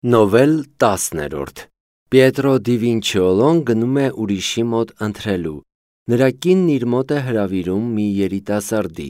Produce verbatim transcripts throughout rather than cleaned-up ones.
Նովել տասներորդ Պիետրո դի Վինչիոլոն գնում է ուրիշի մոտ ընթրելու։ Նրա կինն իր մոտ է հրավիրում մի երիտասարդի։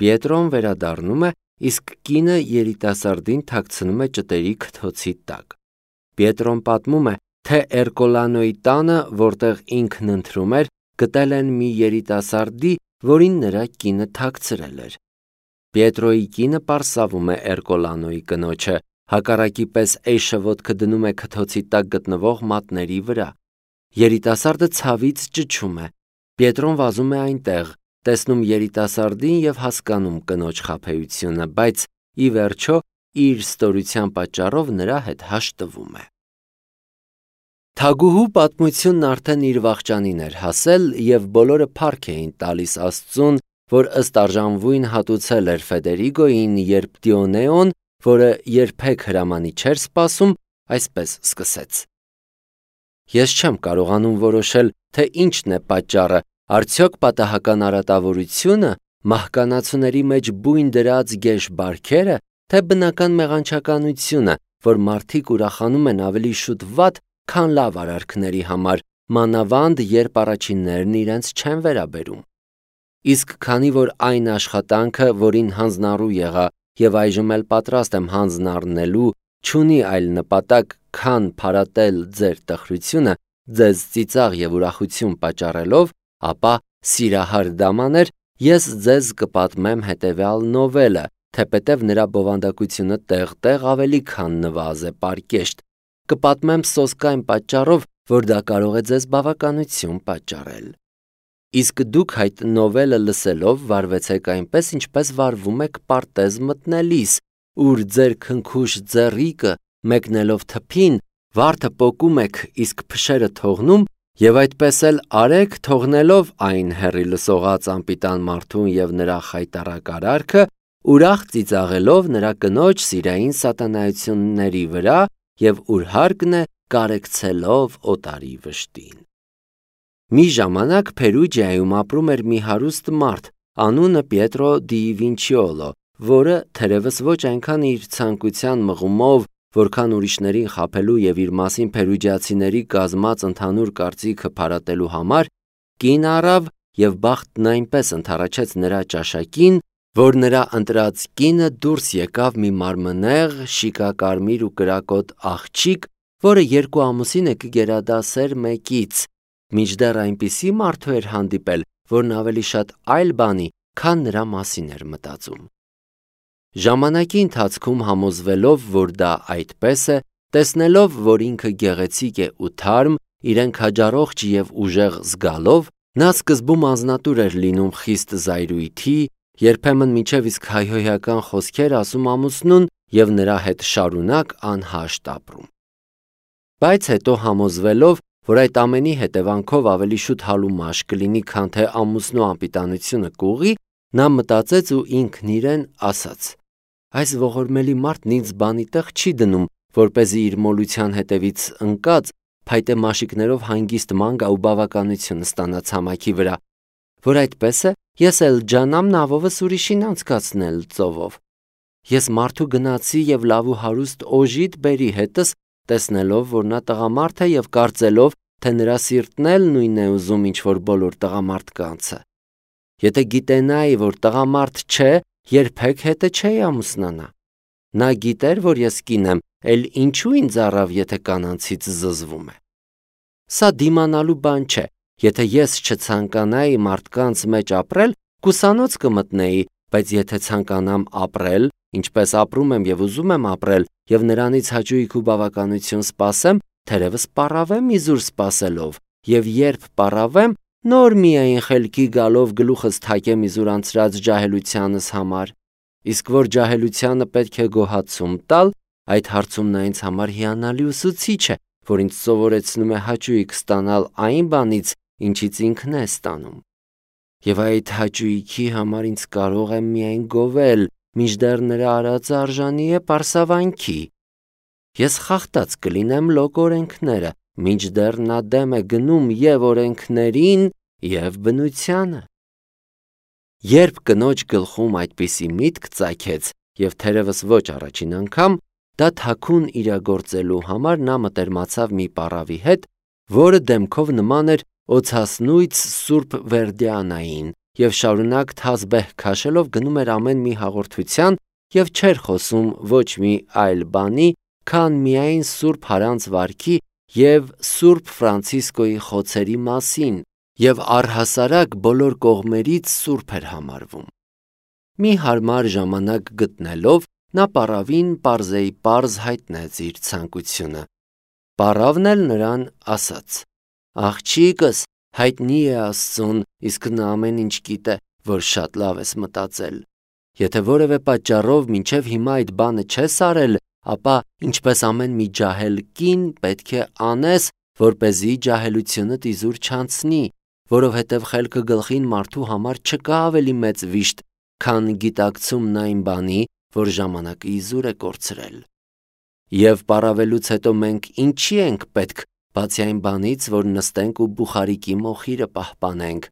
Պիետրոն վերադառնում է, իսկ կինը երիտասարդին թաքցնում է ճտերի քթոցի տակ։ Պիետրոն պատմում է, թե Էրկոլանոյի տանը, որտեղ ինքն ընթրում էր, գտել են մի երիտասարդի, որին նրա կինը թաքցրել էր։ Պիետրոյի կինը պարսավում է Էրկոլանոյի կնոջը, հակառակի պես էյշը ոտքը դնում է քթոցի տակ գտնվող մատների վրա։ Երիտասարդը ցավից ճչում է։ Պիետրոն վազում է այնտեղ, տեսնում երիտասարդին և հասկանում կնոջ խաբեությունը, բայց ի վերջո իր ստորության պատճառով նրա հետ հաշտվում է։ Թագուհու պատմությունն արդեն իր վախճանին էր հասել, և բոլորը փառք էին տալիս Աստծուն, որ ըստ արժանվույն հատուցել էր Ֆեդերիգոյին, երբ Դիոնեոն, որը երբեք հրամանի չէր սպասում, այսպես սկսեց. Ես չեմ կարողանում որոշել, թե ինչն է պատճառը, արդյոք պատահական արատավորությունը, մահկանացուների մեջ բույն դրած գեշ բարքերը, թե բնական մեղանչականությունը, որ մարդիկ ուրախանում են ավելի շուտ վատ, քան լավ արարքների համար, մանավանդ երբ առաջիններն իրենց չեն վերաբերում։ Իսկ քանի որ այն աշխատանքը, որին հանձնառու եղա և այժմ էլ պատրաստ եմ հանձն առնելու, չունի այլ նպատակ, քան փարատել ձեր տխրությունը, ձեզ ծիծաղ և ուրախություն պատճառելով, ապա, սիրահար դամաներ, ես ձեզ կպատմեմ հետևյալ նովելը, թեպետև նրա բովանդակությունը տեղ-տեղ ավելի քան նվազ է պարկեշտ, կպատմեմ սոսկ այն պատճառով, որ դա կարող է ձեզ բավականություն պատճառել։ Իսկ դուք այդ նովելը լսելով վարվեցեք այնպես, ինչպես վարվում եք պարտեզ մտնելիս, ուր ձեր քնքուշ ձեռիկը մեկնելով թփին, վարդը պոկում եք, իսկ փշերը թողնում, և այդպես էլ արեք, թողնելով այն հեռի լսողած անպիտան մարդուն և նրա խայտառակ արարքը, ուրախ ծիծաղելով նրա կնոջ սիրային սատանայությունների վրա և ուր հարկն է կարեկցելով օտարի վշտին։ Մի ժամանակ Փերուջիայում ապրում էր մի հարուստ մարդ, անունը Պիետրո դի Վինչիոլո, որը թերևս ոչ այնքան իր ցանկության մղումով, որքան ուրիշներին խաբելու և իր մասին փերուջիացիների կազմած ընդհանուր կարծիքը փարատելու համար, կին առավ և բախտն այնպես ընդառաջեց նրա ճաշակին, որ նրա ընտրած կինը դուրս եկավ մի մարմնեղ, շիկակարմիր ու կրակոտ աղջիկ, որը երկու ամուսին է կգերադասեր մեկից, մինչդեռ այնպիսի մարդու էր հանդիպել, որն ավելի շատ այլ բանի, քան նրա մասին էր մտածում։ Ժամանակի ընթացքում համոզվելով, որ դա այդպես է, տեսնելով, որ ինքը գեղեցիկ է ու թարմ, իրեն քաջառողջ և ուժեղ զգալով, նա սկզբում անձնատուր էր լինում խիստ զայրույթի, երբեմն մինչև իսկ հայհոյական խոսքեր ասում ամուսնուն և նրա հետ շարունակ անհաշտ ապրում։ Բայց հետո համոզվելով, որ այդ ամենի հետևանքով ավելի շուտ հալու մաշ կլինի, քան թե ամուսնու անպիտանությունը կուղղի, նա մտածեց ու ինքն իրեն ասաց. այս ողորմելի մարդն ինձ բանի տեղ չի դնում, որպեսզի իր մոլության հետևից ընկած, փայտե մաշիկներով հանգիստ ման գա ու բավականություն ստանա ցամաքի վրա, որ այդպես է, ես էլ ջանամ նավովս ուրիշին անցկացնել ծովով։ Ես մարդու գնացի և լավ ու հարուստ օժիտ բերի հետս, տեսնելով, որ նա տղամարդ է և կարծելով, թե նրա սիրտն էլ նույնն է ուզում, ինչ որ բոլոր տղամարդկանցը։ Եթե գիտենայի, որ տղամարդ չէ, երբեք հետը չէի ամուսնանա։ Նա գիտեր, որ ես կին եմ, էլ ինչու ինձ առավ, եթե կանանցից զզվում է։ Սա դիմանալու բան չէ, եթե ես չցանկանայի մարդկանց մեջ ապրել, կուսանոց կմտնեի, բայց եթե ցանկանամ ապրել, ինչպես ապրում եմ և ուզում եմ ապրել, և նրանից հաճույք ու բավականություն սպասեմ, թերևս պառավեմ իզուր սպասելով, և երբ պառավեմ, նոր միայն խելքի գալով գլուխս թակեմ իզուր անցրած ջահելությանս համար, իսկ որ ջահելությանը պետք է գոհացում տալ, այդ հարցում նա ինձ համար հիանալի ուսուցիչ է, որ ինձ սովորեցնում է հաճույք ստանալ այն բանից, ինչից ինքն է ստանում։ Եվ այդ հաճույքի համար ինձ կարող եմ միայն գովել, մինչդեռ նրա արածը արժանի է պարսավանքի։ Ես խախտած կլինեմ լոկ օրենքները, մինչդեռ նա դեմ է գնում և օրենքներին, և բնությանը։ Երբ կնոջ գլխում այդպիսի միտք ծագեց, և թերևս ոչ առաջին անգամ, դա թաքուն իրագործելու համար նա մտերմացավ մի պառավի հետ, որը դեմքով նման էր օցասնույց Սուրբ Վերդիանային, եւ շարունակ թազբեհ քաշելով գնում էր ամեն մի հաղորդության եւ չէր խոսում ոչ մի այլ բանի, քան միայն Սուրբ Հարանց վարքի եւ Սուրբ Ֆրանցիսկոյի խոցերի մասին, եւ առհասարակ բոլոր կողմերից սուրբ էր համարվում։ Մի հարմար ժամանակ գտնելով, նա պառավին պարզեի պարզ հայտնեց իր ցանկությունը։ Պառավն էլ նրան ասաց. «Աղջիկս, հայտնի է Աստծուն, իսկ նա ամեն ինչ գիտե, որ շատ լավ ես մտածել։ Եթե որևէ պատճառով մինչև հիմա այդ բանը չես արել, ապա ինչպես ամեն մի ջահել կին պետք է անես, որպեսզի ջահելությունդ իզուր չանցնի, որովհետև խելքը գլխին մարդու համար չկա ավելի մեծ վիշտ, քան գիտակցումն այն բանի, որ ժամանակը իզուր է կորցրել։ Եվ պառավելուց հետո մենք ինչի ենք պետք, բացի այն բանից, որ նստենք ու բուխարիկի մոխիրը պահպանենք։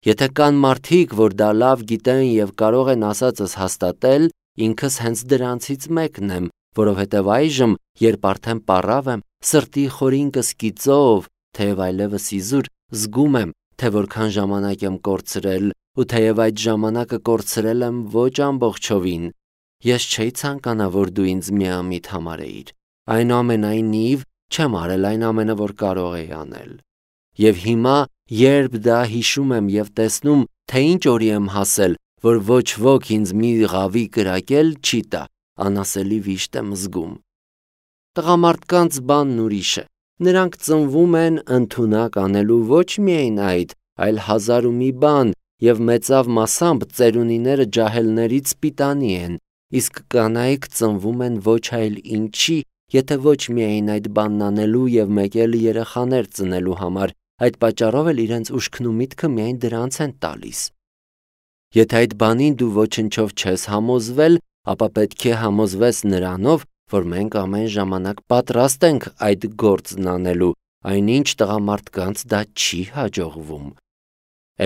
Եթե կան մարդիկ, որ դա լավ գիտեն եւ կարող են ասածս հաստատել, ինքս հենց դրանցից մեկն եմ, որովհետև այժմ, երբ արդեն պառավ եմ, սրտի խորինկս կիծով, թեև այլևս իզուր, զգում եմ, թե որքան ժամանակ եմ կորցրել, ու թեև այդ ժամանակը կորցրել եմ ոչ ամբողջովին, ես չէի ցանկանա, որ դու ինձ միամիտ համարեիր։ Այնուամենայնիվ, չեմ արել այն ամենը, որ կարող էի անել։ Եվ հիմա, երբ դա հիշում եմ եւ տեսնում, թե ինչ օրի եմ հասել, որ ոչ ոք ինձ մի ղավի կրակել չի տա, անասելի վիշտ եմ զգում։ Տղամարդկանց բանն ուրիշ է։ Նրանք ծնվում են ընդունակ անելու ոչ միայն այդ, այլ հազար ու մի բան, եւ մեծավ մասամբ ծերունիները ջահելներից սպիտանի են, իսկ կանայք ծնվում են ոչ այլ ինչի, եթե ոչ միայն այդ բանն անելու եւ մեկ էլ երեխաներ ծնելու համար, այդ պատճառով էլ իրենց ուշքն ու միտքը միայն դրանց են տալիս։ Եթե այդ բանին դու ոչնչով չես համոզվել, ապա պետք է համոզվես նրանով, որ մենք ամեն ժամանակ պատրաստ ենք այդ գործն անելու, այնինչ տղամարդկանց դա չի հաջողվում։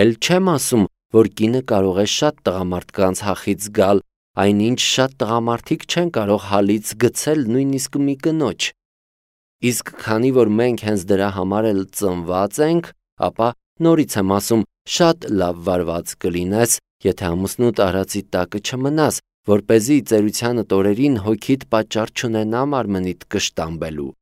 Էլ չեմ ասում, որ կինը կարող է շատ տղամարդկանց հախից գալ, այնինչ շատ տղամարդիկ չեն կարող հալից գցել նույնիսկ մի կնոջ։ Իսկ քանի որ մենք հենց դրա համար էլ ծնված ենք, ապա նորից եմ ասում, շատ լավ վարված կլինես, եթե ամուսնուդ արածի տակը չմնաս, որպեսզի ծերությանդ օրերին հոգիդ պատճառ չունենա մարմնիդ կշտամբելու։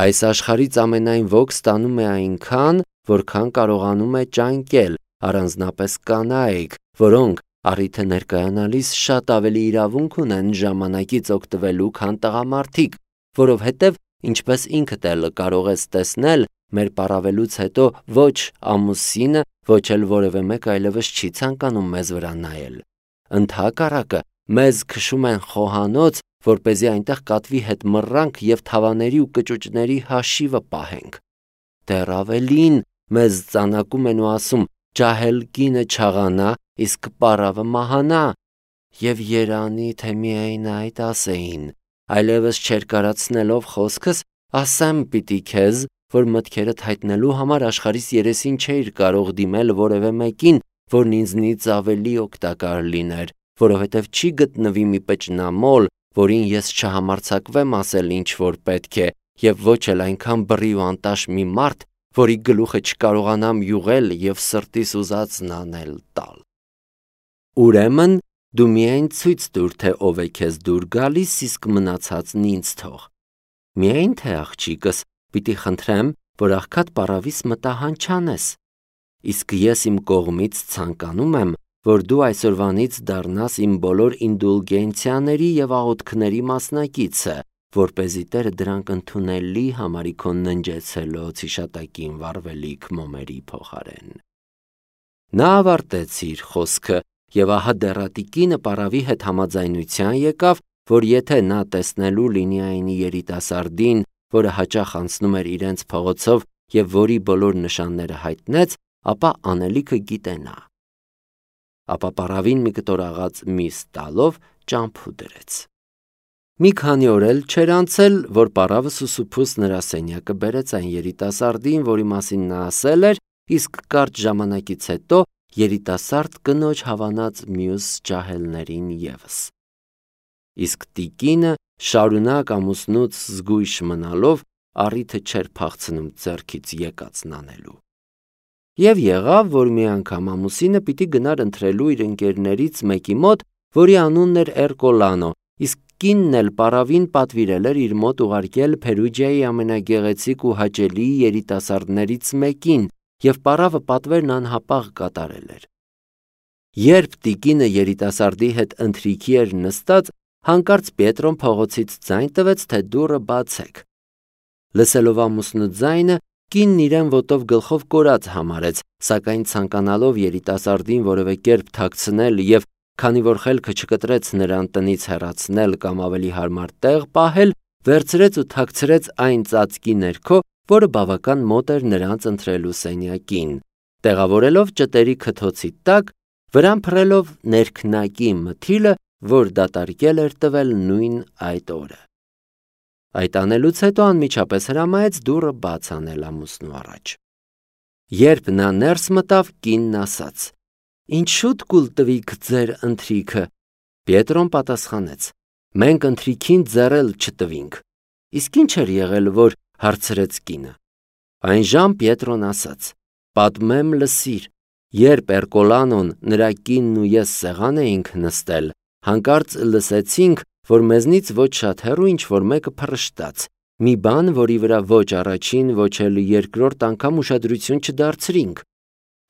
Այս աշխարհից ամենայն ոք ստանում է այնքան, որքան կարողանում է ճանկել, առանձնապես կանայք, որոնք առիթը ներկայանալիս շատ ավելի իրավունք ունեն ժամանակից օգտվելու, քան տղամարդիկ, որովհետև, ինչպես ինքդ էլ կարող ես տեսնել, մեր պառավելուց հետո ոչ ամուսինը, ոչ էլ որևէ մեկ այլևս չի ցանկանում մեզ վրա նայել։ Ընդհակառակը, մեզ քշում են խոհանոց, որպեսզի այնտեղ կատվի հետ մռանք եւ թավաների ու կճուճների հաշիվը պահենք։ Դեռ ավելին, մեզ ծանակում են ու ասում, ջահել կինը չաղանա, իսկ պառավը մահանա, եւ երանի, թե միայն այդ ասեին, այլևս չեր կարացնելով խոսքս, ասեմ պիտի քեզ, որ մտքերդ հայտնելու համար աշխարհիս երեսին չէիր կարող դիմել որևէ մեկին, որն ինձնից ավելի օգտակար լիներ, որովհետև չի գտնվի մի պճնամոլ, որին ես չհամարձակվեմ ասել ինչ որ պետք է, եւ ոչ էլ այնքան բռի ու անտաշ մի մարդ, որի գլուխը չկարողանամ յուղել եւ սրտիս ուզածն անել տալ։ Ուրեմն դու միայն ցույց տուր, թե ով է քեզ դուր գալիս, իսկ մնացածն ինձ թող։ Միայն թե աղջիկս, պիտի խնդրեմ, որ աղքատ պառավիս մտահանչանես։ Իսկ ես իմ կողմից ցանկանում եմ, որ դու այսօրվանից դառնաս իմ բոլոր ինդուլգենցիաների եւ աղոթքների մասնակիցը, որպեսզի Տերը դրանք ընդունելի համարի քո ննջեցելոց հիշատակին վառվելիք մոմերի փոխարեն։ Նա ավարտեց իր խոսքը եւ ահա դեռատիկինը պառավի հետ համաձայնության եկավ, որ եթե նա տեսնելու լինի այն երիտասարդին, որը հաճախ անցնում էր իրենց փողոցով եւ որի բոլոր նշանները հայտնեց, ապա անելիքը գիտենա։ Ապա պառավին մի կտոր աղաց միս տալով ճամփու դրեց։ Մի քանի օր էլ չէր անցել, որ պառավը սուսուփուս նրա սենյակը բերեց այն երիտասարդին, որի մասին նա ասել էր, իսկ կարճ ժամանակից հետո երիտասարդ կնոջ հավանած մյուս ջահելներին եւս։ իսկ տիկինը շարունակ ամուսնուց զգույշ մնալով առիթը չէր փախցնում ձեռքից եկածն անելու։ Եվ եղավ, որ մի անգամ ամուսինը պիտի գնար ընթրելու իր ընկերներից մեկի մոտ, որի անունն էր Էրկոլանո, իսկ կինն էլ պարավին պատվիրել էր իր մոտ ուղարկել Փերուջիայի ամենագեղեցիկ ու հաճելի երիտասարդներից մեկին, և պարավը պատվերն անհապաղ կատարել էր։ Երբ տիկինը երիտասարդի հետ ընթրիքի էր նստած, հանկարծ Պիետրոն փողոցից ձայն տվեց, թե դուռը բացեք։ Լսելով ամուսնու ձայնը, կինն իրեն ոտով գլխով կորած համարեց, սակայն ցանկանալով երիտասարդին որևէ կերպ թաքցնել և քանի որ խելքը չկտրեց նրան տնից հեռացնել կամ ավելի հարմար տեղ պահել, վերցրեց ու թաքցրեց այն ծածկի ներքո, որը բավական մոտ էր նրանց ընթրելու սենյակին, տեղավորելով ճտերի քթոցի տակ, վրան փռելով ներքնակի մթիլը, որ դատարկել էր տվել նույն այդ օրը։ Այդ անելուց հետո անմիջապես հրամայեց դուռը բաց անել ամուսնու առաջ։ Երբ նա ներս մտավ, կինն ասաց. «Ինչ շուտ կուլ տվիք ձեր ընթրիքը»։ Պիետրոն պատասխանեց. «Մենք ընթրիքին ձեռել չտվինք»։ Իսկ ինչ էր եղել, որ հարցրեց կինը։ Այնժամ Պիետրոն ասաց. «Պատմեմ, լսիր, երբ Էրկոլանոն, նրա կինն ու ես սեղան էինք նստել, հանկարծ լսեցինք, որ մեզնից ոչ շատ հեռու ինչ-որ մեկը փռշտաց, մի բան, որի վրա ոչ առաջին, ոչ էլ երկրորդ անգամ ուշադրություն չդարձրինք,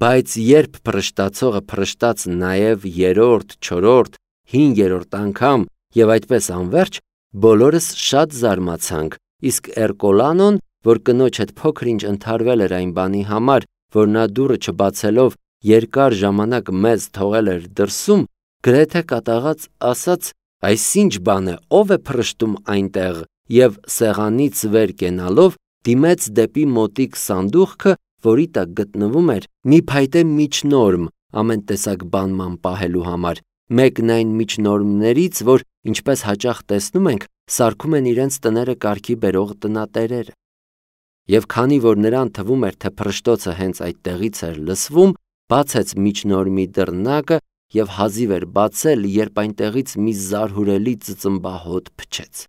բայց երբ փռշտացողը փռշտաց նաև երրորդ, չորրորդ, հինգերորդ անգամ և այդպես անվերջ, բոլորս շատ զարմացանք, իսկ Էրկոլանոն, որ կնոջ հետ փոքր-ինչ ընդհարվել էր այն բանի համար, որ նա դուռը չբացելով երկար ժամանակ մեզ թողել էր դրսում, գրեթե կատաղած ասաց. «Այս ինչ բան է, ով է փռշտում այնտեղ», և սեղանից վեր կենալով դիմեց դեպի մոտիկ սանդուղքը, որի տակ գտնվում էր մի փայտե միջնորմ ամեն տեսակ բանման պահելու համար, մեկն այն միջնորմներից, որ, ինչպես հաճախ տեսնում ենք, սարքում են իրենց տները կարգի բերող տնատերերը։ Եվ քանի որ նրան թվում էր, թե փռշտոցը հենց այդտեղից էր լսվում, բացեց միջնորմի դռնակը և հազիվ էր բացել, երբ այնտեղից մի զարհուրելի ծծմբահոտ փչեց։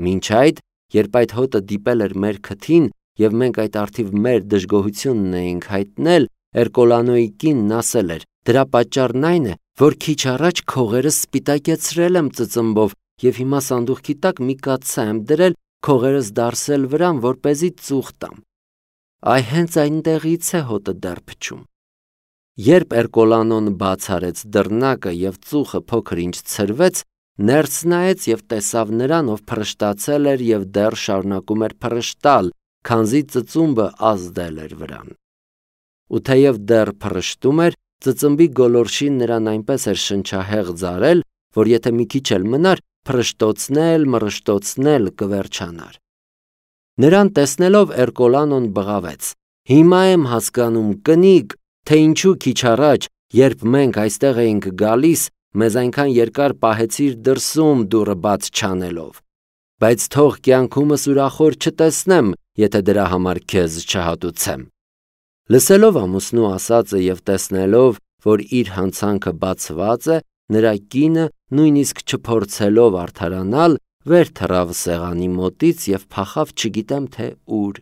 Մինչ այդ, երբ այդ հոտը դիպել էր մեր քթին և մենք այդ առթիվ մեր դժգոհությունն էինք հայտնել, Էրկոլանոյի կինն ասել էր. «Դրա պատճառն այն է, որ քիչ առաջ քողերս սպիտակեցրել եմ ծծմբով և հիմա սանդուղքի տակ մի կաթսա եմ դրել քողերս դարսել վրան, որպեսզի ծուխ տամ։ Այ հենց այնտեղից է հոտը դեռ փչում»։ Երբ Էրկոլանոն բաց արեց դռնակը և ծուխը փոքր-ինչ ցրվեց, ներս նայեց և տեսավ նրան, ով փռշտացել էր և դեռ շարունակում էր փռշտալ, քանզի ծծումբը ազդել էր վրան։ Ու թեև դեռ փռշտում էր, ծծմբի գոլորշին նրան այնպես էր շնչահեղձ արել, որ եթե մի քիչ էլ մնար, փռշտոցնել, մռշտոցնել կվերջանար։ Նրան տեսնելով Էրկոլանոն բղավեց. «Հիմա եմ հասկանում, կնիկ, թե ինչու քիչ առաջ, երբ մենք այստեղ էինք գալիս, մեզ այնքան երկար պահեցիր դրսում դուռը բաց չանելով, բայց թող կյանքումս ուրախոր չտեսնեմ, եթե դրա համար քեզ չհատուցեմ»։ Լսելով ամուսնու ասածը և տեսնելով, որ իր հանցանքը բացված է, նրա կինը, նույնիսկ չփորձելով արդարանալ, վեր թռավ սեղանի մոտից և փախավ չգիտեմ թե ուր։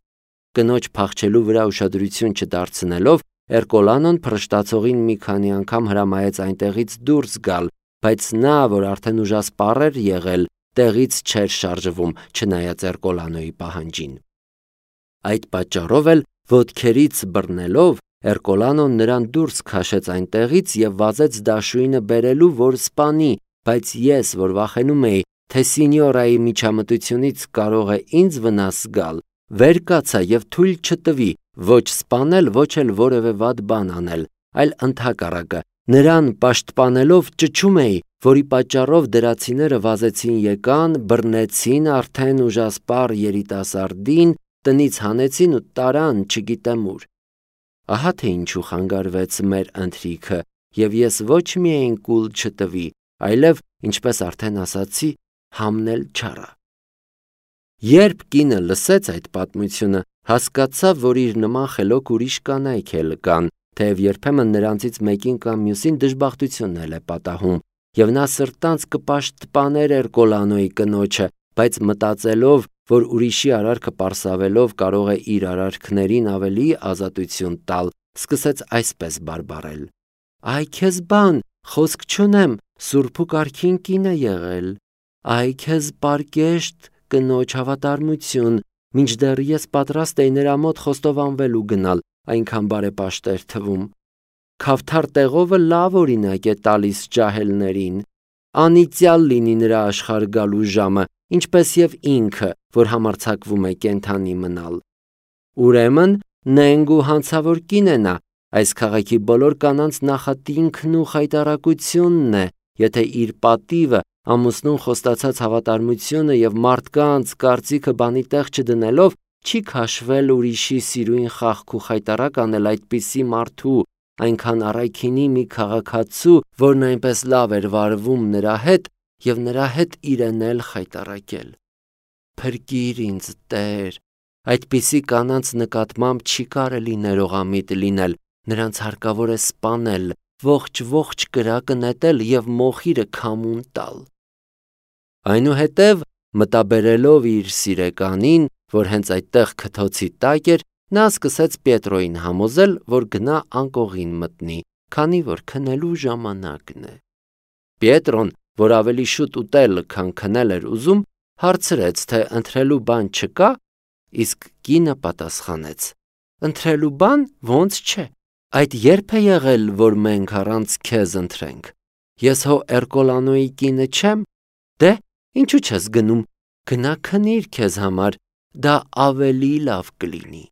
Կնոջ փախչելու վրա ուշադրություն չդարձնելով, Էրկոլանոն փռշտացողին մի քանի անգամ հրամայեց այնտեղից դուրս գալ, բայց նա, որ արդեն ուժասպառ էր եղել, տեղից չէր շարժվում, չնայած Էրկոլանոյի պահանջին։ Այդ պատճառով էլ ոտքերից բռնելով, Էրկոլանոն նրան դուրս քաշեց այնտեղից և վազեց դաշույնը բերելու, որ սպանի, բայց ես, որ վախենում էի, թե սինյորայի միջամտությունից կարող է ինձ վնաս գալ, վեր կացա և թույլ չտվի ոչ սպանել, ոչ էլ որևէ վատ բան անել, այլ ընդհակառակը, նրան պաշտպանելով ճչում էի, որի պատճառով դրացիները վազեցին եկան, բռնեցին արդեն ուժասպառ երիտասարդին, տնից հանեցին ու տարան չգիտեմ ուր։ Ահա թե ինչու խանգարվեց մեր ընթրիքը, և ես ոչ միայն կուլ չտվի, այլև, ինչպես արդեն ասացի, համնել չառա։ Երբ կինը լսեց այդ պատմությունը, հասկացավ, որ իր նման խելոք ուրիշ կանայք էլ կան, թեև երբեմն նրանցից մեկին կամ մյուսին դժբախտությունն էլ է պատահում, եւ նա սրտանց կպաշտպաներ Էրկոլանոյի կնոջը, բայց մտածելով, որ ուրիշի արարքը պարսավելով կարող է իր արարքներին ավելի ազատություն տալ, սկսեց այսպես բարբառել. «Այ քեզ բան, խոսք չունեմ, Սուրբ ու Կարգին կին է եղել, այ քեզ պարկեշտ կնոջ հավատարմություն, մինչդեռ ես պատրաստ էի նրա մոտ խոստովանվելու գնալ, այնքան բարեպաշտ էր թվում։ Քավթար տեղովը լավ օրինակ է տալիս ջահելներին, անիծյալ լինի նրա աշխարհ գալու ժամը, ինչպես եւ ինքը, որ համարձակվում է կենթանի մնալ։ Ուրեմն նենգ ու հանցավոր կին է նա, այս քաղաքի բոլոր կանանց նախատինքն ու խայտառակությունն է, եթե իր պատիվը, ամուսնուն խոստացած հավատարմությունը եւ մարդկանց կարծիքը բանի տեղ չդնելով, չի քաշվել ուրիշի սիրույն խախք ու խայտառակ անել այդպիսի մարդու, այնքան առայքինի մի քաղաքացու, որն այնպես լավ էր վարվում նրա հետ եւ նրա հետ իրեն էլ խայտառակել։ Փրկիր ինձ, Տեր, այդպիսի կանանց նկատմամբ չի կարելի ներողամիտ լինել, նրանց հարկավոր է սպանել, ողջ-ողջ կրակը նետել եւ մոխիրը քամուն տալ։ Այնուհետև, մտաբերելով իր սիրեկանին, որ հենց այդտեղ քթոցի տակ էր, նա սկսեց Պետրոյին համոզել, որ գնա անկողին մտնի, քանի որ քնելու ժամանակն է։ Պետրոն, որ ավելի շուտ ուտել, քան քնել էր ուզում, հարցրեց, թե ընթրելու բան չկա, իսկ կինը պատասխանեց. ընթրելու բան ոնց չէ, այդ երբ է եղել, որ մենք առանց քեզ ընթրենք։ Ես հո Էրկոլանոյի կինը չեմ, դե ինչու չես գնում, գնա քնիր քեզ համար, դա ավելի լավ կլինի։